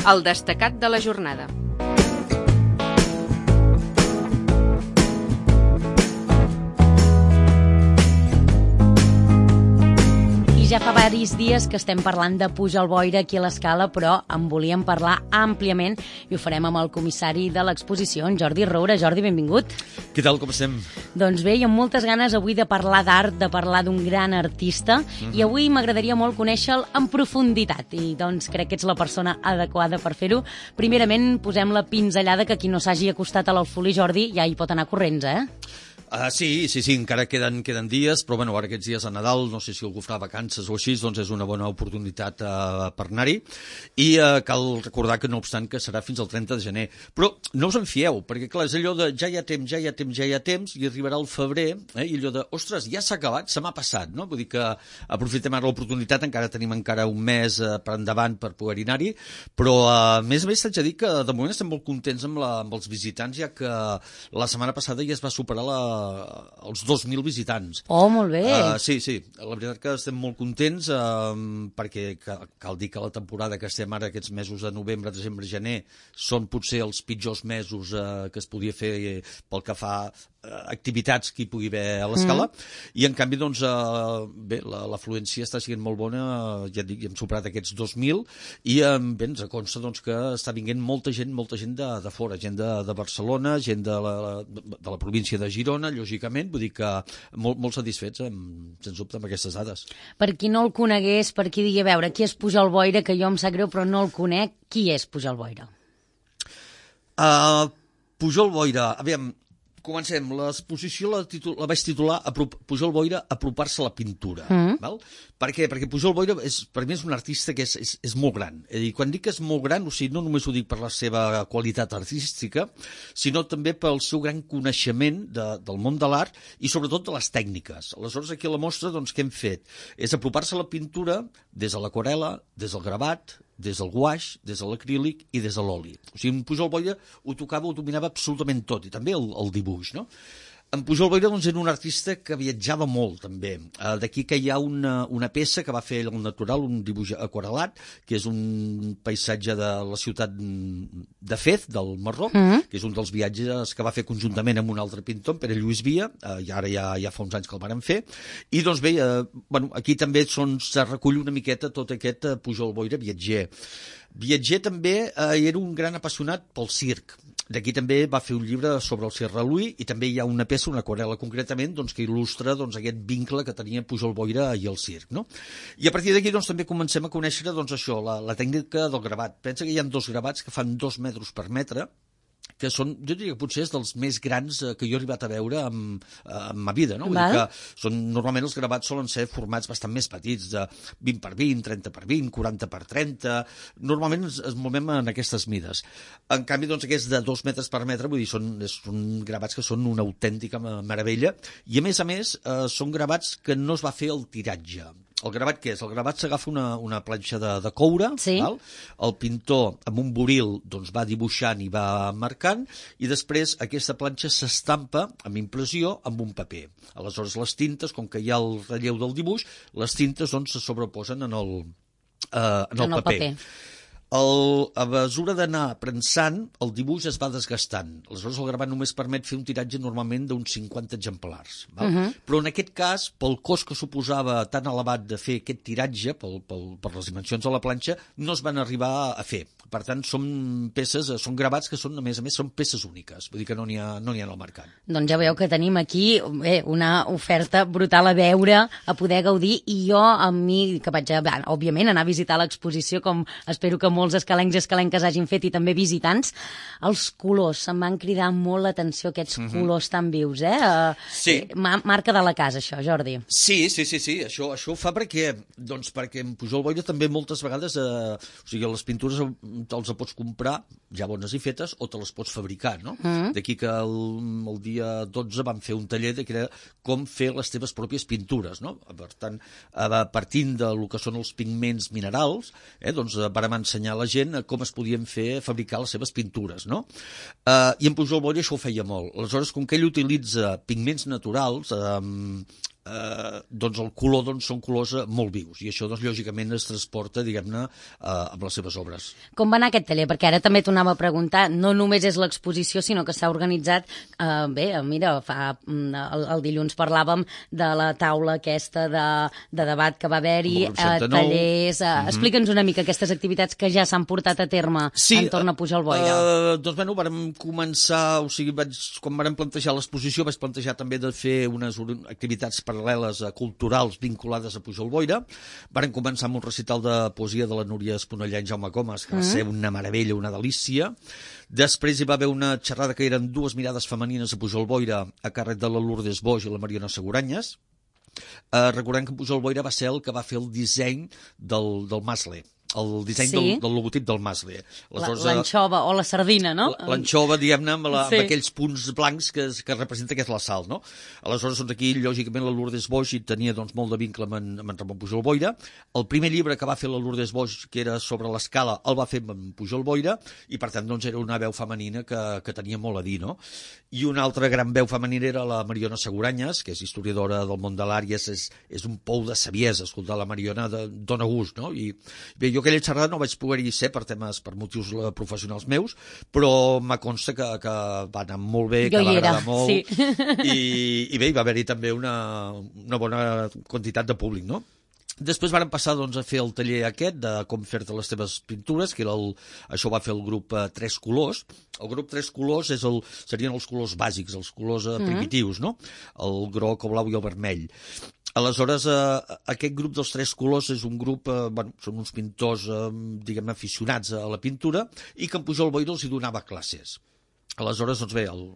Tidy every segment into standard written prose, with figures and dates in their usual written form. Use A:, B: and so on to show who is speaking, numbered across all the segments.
A: El destacat de la jornada.
B: Ja fa diversos dies que estem parlant de Pujol Boira aquí a l'Escala, però en volíem parlar àmpliament i ho farem amb el comissari de l'exposició, en Jordi Roura. Jordi, benvingut.
C: Què tal, com estem?
B: Doncs bé, i amb moltes ganes avui de parlar d'art, de parlar d'un gran artista, i avui m'agradaria molt conèixer-lo en profunditat, i doncs crec que ets la persona adequada per fer-ho. Primerament, posem la pinzellada, que qui no s'hagi acostat a l'Alfolí, Jordi, ja hi pot anar corrents, eh?
C: Sí, encara queden dies, però bueno, ara aquests dies a Nadal, no sé si algú farà vacances o així, doncs és una bona oportunitat per anar-hi. I cal recordar que no obstant que serà fins al 30 de gener. Però no us en fieu, perquè clar, és allò de ja hi ha temps, i arribarà el febrer, i allò de, ostres, ja s'ha acabat, se m'ha passat, no? Vull dir que aprofitem ara l'oportunitat, encara tenim un mes per endavant per poder-hi anar-hi, però a més t'haig de dir que de moment estem molt contents amb els visitants, ja que la setmana passada ja es va superar els 2.000 visitants.
B: Oh, molt bé.
C: Sí, la veritat que estem molt contents perquè cal dir que la temporada que estem ara, aquests mesos de novembre, desembre, gener, són potser els pitjors mesos que es podia fer pel que fa activitats que hi pugui haver a l'Escala, i en canvi doncs bé, l'afluència està sent molt bona, ja dic, hem superat aquests 2.000 i bé, ens consta doncs que està vinguent molta gent de fora, gent de Barcelona, gent de la província de Girona, lògicament, vull dir que molt satisfets, sens dubte, amb aquestes dades.
B: Per qui no el conegués, per qui digui, a veure, qui és Pujol Boira, que jo em sap greu però no el conec, qui és Pujol Boira?
C: Pujol Boira, aviam, comencem. L'exposició la vaig titular Pujol Boira, apropar-se a la pintura. Val? Per què? Perquè Pujol Boira per mi és un artista que és molt gran. És a dir, quan dic que és molt gran, o sigui, no només ho dic per la seva qualitat artística, sinó també pel seu gran coneixement del món de l'art i sobretot de les tècniques. Aleshores, aquí a la mostra, doncs, què hem fet? És apropar-se a la pintura des de l'aquarel·la, des del gravat, des del guaix, des de l'acrílic i des de l'oli. O sigui, en Pujol Boira ho tocava, ho dominava absolutament tot, i també el dibuix, no? En Pujol Boira doncs, era un artista que viatjava molt, també. D'aquí que hi ha una peça que va fer al natural, un dibuix aquarel·lat, que és un paisatge de la ciutat de Fez, del Marroc, que és un dels viatges que va fer conjuntament amb un altre pintor, Pere Lluís Via, i ara ja fa uns anys que el varen fer. I doncs bé, aquí també se recull una miqueta tot aquest Pujol Boira viatger. Viatger també era un gran apassionat pel circ. D'aquí també va fer un llibre sobre el circ reluí i també hi ha una peça, una aquarel·la concretament, doncs, que il·lustra aquest vincle que tenia Pujol Boira i el circ. No? I a partir d'aquí doncs, també comencem a conèixer això, la tècnica del gravat. Pensa que hi ha 2 gravats que fan 2 metres per metre, que són, jo diria que potser és dels més grans que jo he arribat a veure en ma vida, no? Vull dir que normalment els gravats solen ser formats bastant més petits, de 20 per 20, 30 per 20, 40 per 30, normalment ens movem en aquestes mides. En canvi, doncs, aquests de 2 metres per metre, vull dir, són gravats que són una autèntica meravella, i a més, són gravats que no es va fer el tiratge. El gravat què és? El gravat s'agafa una planxa de coure, val? El pintor amb un buril doncs, va dibuixant i va marcant, i després aquesta planxa s'estampa amb impressió amb un paper. Aleshores les tintes, com que hi ha el relleu del dibuix, les tintes doncs, se sobreposen en el paper. A mesura d'anar prensant, el dibuix es va desgastant. Aleshores, el gravat només permet fer un tiratge normalment d'uns 50 exemplars. Val? Però en aquest cas, pel cost que suposava tan elevat de fer aquest tiratge, per les dimensions de la planxa, no es van arribar a fer. Per tant, són gravats que són, a més, són peces úniques. Vull dir que no n'hi ha al mercat.
B: Doncs ja veieu que tenim aquí una oferta brutal a veure, a poder gaudir, i jo, a mi, que vaig, òbviament, anar a visitar l'exposició, com espero que molts escalencs i escalenques hagin fet, i també visitants, els colors, em van cridar molt l'atenció aquests colors tan vius,
C: Sí.
B: Marca de la casa, això, Jordi.
C: Sí, això ho fa perquè en Pujol Boira també moltes vegades, o sigui, les pintures te'ls pots comprar ja bones i fetes o te les pots fabricar, no? D'aquí que el dia 12 vam fer un taller que era com fer les teves pròpies pintures, no? Per tant, partint del que són els pigments minerals, doncs vam ensenyar a la gent com es podien fabricar les seves pintures, no? I en Pujol Boira això ho feia molt. Aleshores, com que ell utilitza pigments naturals, doncs el color són colors molt vius i això doncs, lògicament es transporta diguem-ne amb les seves obres.
B: Com va anar aquest taller? Perquè ara també t'anava a preguntar, no només és l'exposició sinó que s'ha organitzat, mira, el dilluns parlàvem de la taula aquesta de debat que va haver-hi, tallers, explica'ns una mica aquestes activitats que ja s'han portat a terme entorn a Pujol Boira.
C: Doncs bueno, vàrem començar, o sigui, quan vàrem plantejar l'exposició vaig plantejar també de fer unes activitats paral·leles culturals vinculades a Pujol Boira. Varen començar amb un recital de poesia de la Núria Esponellà i Jaume Comas, que va ser una meravella, una delícia. Després hi va haver una xerrada que eren dues mirades femenines a Pujol Boira a càrrec de la Lourdes Boix i la Mariona Seguranyes. Recordem que Pujol Boira va ser el que va fer el disseny del Masle, el disseny del logotip del Masle.
B: L'anxova o la sardina, no?
C: L'anxova, diguem-ne, amb aquells punts blancs que representa que és la sal, no? Aleshores, doncs aquí, lògicament, la Lourdes Boix hi tenia molt de vincle amb en Ramon Pujol Boira. El primer llibre que va fer la Lourdes Boix, que era sobre l'escala, el va fer amb Pujol Boira, i per tant, doncs, era una veu femenina que tenia molt a dir, no? I una altra gran veu femenina era la Mariona Seguranyes, que és historiadora del món de l'art i és un pou de saviesa, escoltar la Mariona dona gust, no? I bé, jo aquella xerrada no vaig poder-hi ser per motius professionals meus, però me consta que va anar molt bé, que va agradar molt, i bé, hi va haver-hi també una bona quantitat de públic, no? Després vàrem passar doncs, a fer el taller aquest de com fer-te les teves pintures, que era això va fer el grup Tres Colors. El grup Tres Colors serien els colors bàsics, els colors primitius, no? El groc, el blau i el vermell. Aleshores, aquest grup dels Tres Colors és un grup, són uns pintors, diguem-ne, aficionats a la pintura i que en Pujol Boira els hi donava classes. Aleshores, doncs bé, al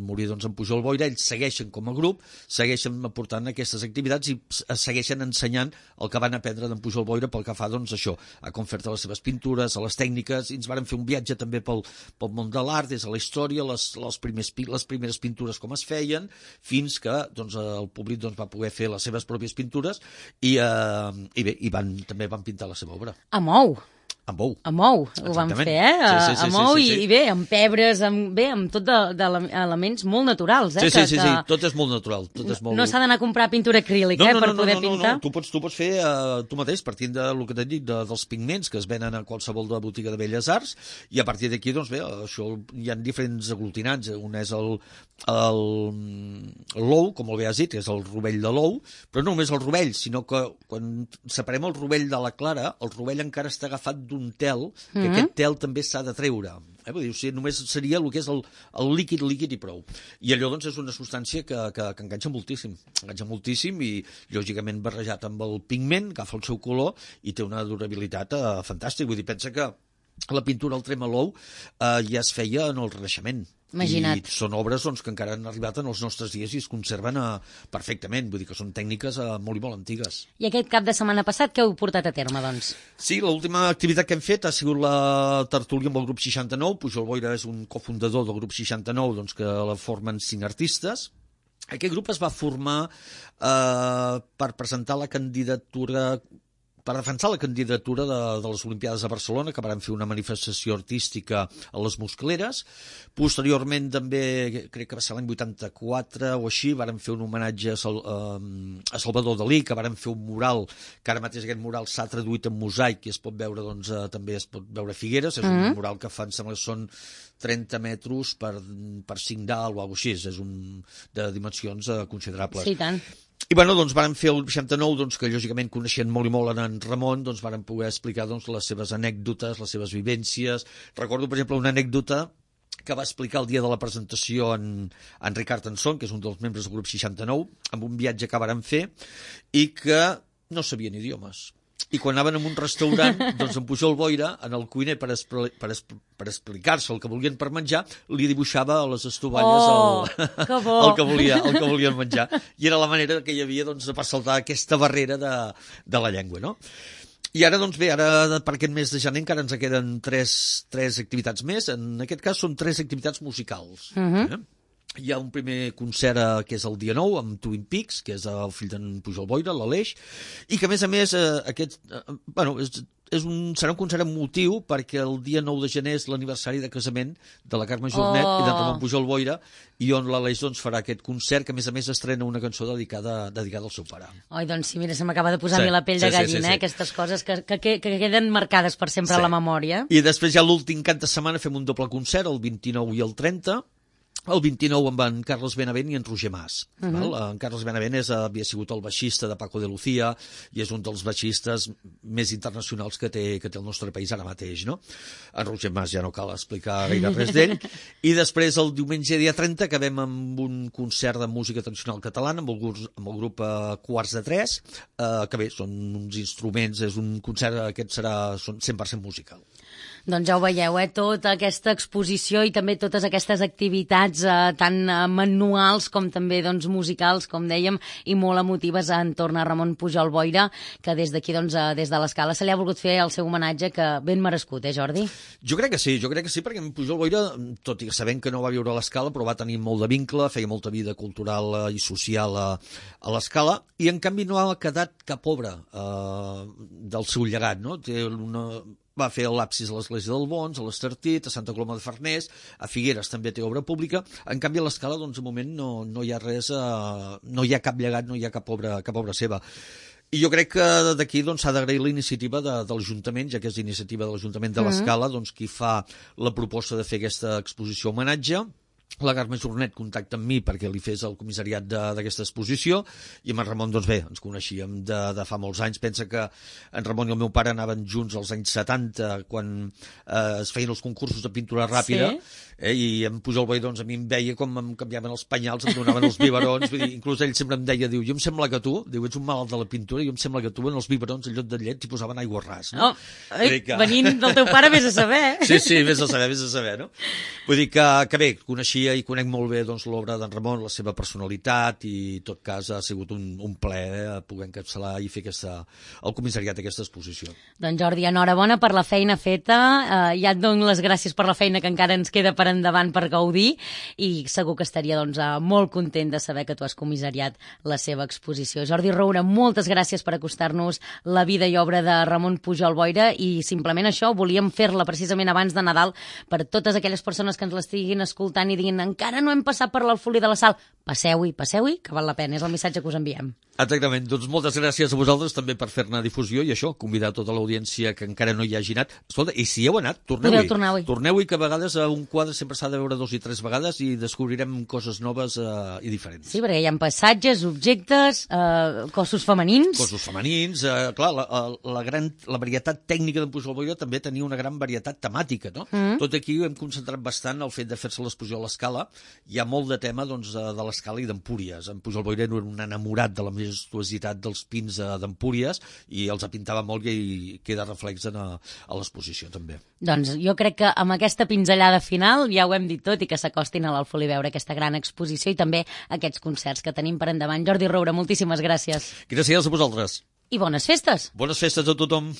C: morir en Pujol Boira, ells segueixen com a grup, segueixen aportant aquestes activitats i segueixen ensenyant el que van aprendre d'en Pujol Boira pel que fa, doncs, això, a com fer-te les seves pintures, a les tècniques, i ens varen fer un viatge també pel món de l'art, des de la història, les primeres pintures com es feien, fins que doncs, el públic doncs, va poder fer les seves pròpies pintures i bé, també van pintar la seva obra.
B: A Mou!
C: Amb ou.
B: Amb ou, ho vam fer, amb ou i bé, amb pebres, amb tot d'elements molt naturals.
C: Sí, tot és molt natural.
B: No s'ha d'anar a comprar pintura acrílica per poder pintar.
C: No, tu pots fer tu mateix, partint del que t'he dit, dels pigments que es venen a qualsevol botiga de Belles Arts, i a partir d'aquí, doncs bé, això hi ha diferents aglutinants. Un és l'ou, com el bé has dit, que és el rovell de l'ou, però no només el rovell, sinó que quan separem el rovell de la clara, el rovell encara està agafat d'un tel, que aquest tel també s'ha de treure. Vull dir, o sigui, només seria el que és el líquid i prou. I allò doncs, és una substància que enganxa moltíssim i, lògicament, barrejat amb el pigment, agafa el seu color i té una durabilitat fantàstica. Vull dir, pensa que la pintura al tremalou ja es feia en el Renaixement.
B: Imagina't.
C: I són obres doncs, que encara han arribat en els nostres dies i es conserven perfectament. Vull dir que són tècniques molt i molt antigues.
B: I aquest cap de setmana passat què heu portat a terme, doncs?
C: Sí, l'última activitat que hem fet ha sigut la tertúlia amb el grup 69. Pujol Boira és un cofundador del grup 69, doncs, que la formen 5 artistes. Aquest grup es va formar per presentar la candidatura per defensar la candidatura de les Olimpiades de Barcelona, que van fer una manifestació artística a les Muscleres. Posteriorment, també, crec que va ser l'any 84 o així, van fer un homenatge a Salvador Dalí, que van fer un mural, que ara mateix aquest mural s'ha traduït en mosaic i es pot veure, doncs, també es pot veure a Figueres. És un mural que em sembla que són 30 metres per 5 dalt o alguna cosa així. És de dimensions considerables.
B: Sí, tant.
C: I bueno, doncs vàrem fer el 69, doncs, que lògicament coneixien molt i molt en Ramon, doncs vàrem poder explicar doncs, les seves anècdotes, les seves vivències. Recordo, per exemple, una anècdota que va explicar el dia de la presentació en Ricard Anson, que és un dels membres del grup 69, amb un viatge que vàrem fer i que no sabien idiomes. I quan anaven a un restaurant, doncs en Pujol Boira, en el cuiner, per explicar-se el que volien per menjar, li dibuixava a les estovalles el que volien menjar. I era la manera que hi havia doncs, de per saltar aquesta barrera de la llengua, no? I ara, doncs bé, per aquest mes de gener encara ens queden tres activitats més. En aquest cas són 3 activitats musicals. Hi ha un primer concert que és el dia 9 amb Twin Peaks, que és el fill d'en Pujol Boira, l'Aleix, i que a més serà un concert emotiu perquè el dia 9 de gener és l'aniversari de casament de la Carme Jornet i d'en Ramon Pujol Boira, i on l'Aleix farà aquest concert, que a més estrena una cançó dedicada al seu pare.
B: Oi, doncs sí, mira, se m'acaba de posar a mi la pell de gallina, aquestes coses que queden marcades per sempre a la memòria.
C: I després ja l'últim cap de setmana fem un doble concert, el 29 i el 30, el 29 amb en Carles Benavent i en Roger Mas. En Carles Benavent havia sigut el baixista de Paco de Lucía i és un dels baixistes més internacionals que té el nostre país ara mateix, no? En Roger Mas ja no cal explicar gaire res d'ell. I després el diumenge dia 30 acabem amb un concert de música tradicional catalana amb el grup Quarts de Tres, que bé, són uns instruments, és un concert, aquest serà 100% musical.
B: Doncs ja ho veieu, tota aquesta exposició i també totes aquestes activitats tant manuals com també musicals, com dèiem, i molt emotives entorn a Ramon Pujol Boira, que des d'aquí, des de l'Escala, se li ha volgut fer el seu homenatge, que ben merescut, Jordi?
C: Jo crec que sí, perquè en Pujol Boira, tot i que sabem que no va viure a l'Escala, però va tenir molt de vincle, feia molta vida cultural i social a l'Escala, i en canvi no ha quedat cap obra del seu llegat, no? Va fer l'absis a l'Església del Bons, a l'Estartit, a Santa Coloma de Farners, a Figueres també té obra pública. En canvi, a l'Escala, de moment, no hi ha res, no hi ha cap llegat, no hi ha cap obra seva. I jo crec que d'aquí s'ha d'agrair la iniciativa de l'Ajuntament, ja que és iniciativa de l'Ajuntament de l'Escala, qui fa la proposta de fer aquesta exposició homenatge. La Carme Jornet contacta amb mi perquè li fes el comissariat d'aquesta exposició, i amb en Ramon, ens coneixíem de fa molts anys. Pensa que en Ramon i el meu pare anaven junts als anys 70, quan es feien els concursos de pintura ràpida, i en Pujol Boira, a mi em veia com em canviaven els penyals, em donaven els biberons, inclús ell sempre em deia, jo em sembla que tu, ets un malalt de la pintura, jo em sembla que tu en els biberons, en lloc de llet, t'hi posaven aigua ras, no?
B: Venint del teu pare, vés a saber.
C: Sí, vés a saber, no? Vull dir que bé, coneixia i conec molt bé l'obra d'en Ramon, la seva personalitat, i en tot cas ha sigut un plaer poder encapçalar i fer el comissariat d'aquesta exposició.
B: Doncs Jordi, enhorabona per la feina feta, ja et dono les gràcies per la feina que encara ens queda per endavant per gaudir, i segur que estaria molt content de saber que tu has comissariat la seva exposició. Jordi Roura, moltes gràcies per acostar-nos la vida i obra de Ramon Pujol Boira, i simplement això, volíem fer-la precisament abans de Nadal per totes aquelles persones que ens l'estiguin escoltant i diguin encara no hem passat per l'Alfolí de la Sal. Passeu-hi, que val la pena, és el missatge que us enviem.
C: Exactament, doncs moltes gràcies a vosaltres també per fer-ne difusió, i això, convidar tota l'audiència que encara no hi hagi anat. Escolta, i si heu anat, torneu-hi. Torneu-hi, que a vegades un quadre sempre s'ha de veure 2 i 3 vegades i descobrirem coses noves i diferents.
B: Sí, perquè hi ha passatges, objectes, cossos femenins.
C: Clar, la varietat tècnica d'en Pujol Boira també tenia una gran varietat temàtica, no? Tot aquí ho hem concentrat bastant el fet de fer-se l'exposició a l'Escala. Hi ha molt de tema de l'Escala i d'Empúries. En Pujol Boira era un enamorat de la majestuositat dels pins d'Empúries i els pintava molt, i queda reflex a l'exposició també.
B: Doncs jo crec que amb aquesta pinzellada final ja ho hem dit tot, i que s'acostin a l'Alfolí a veure aquesta gran exposició i també aquests concerts que tenim per endavant. Jordi Roura, moltíssimes gràcies.
C: Gràcies a vosaltres.
B: I bones festes.
C: Bones festes a tothom.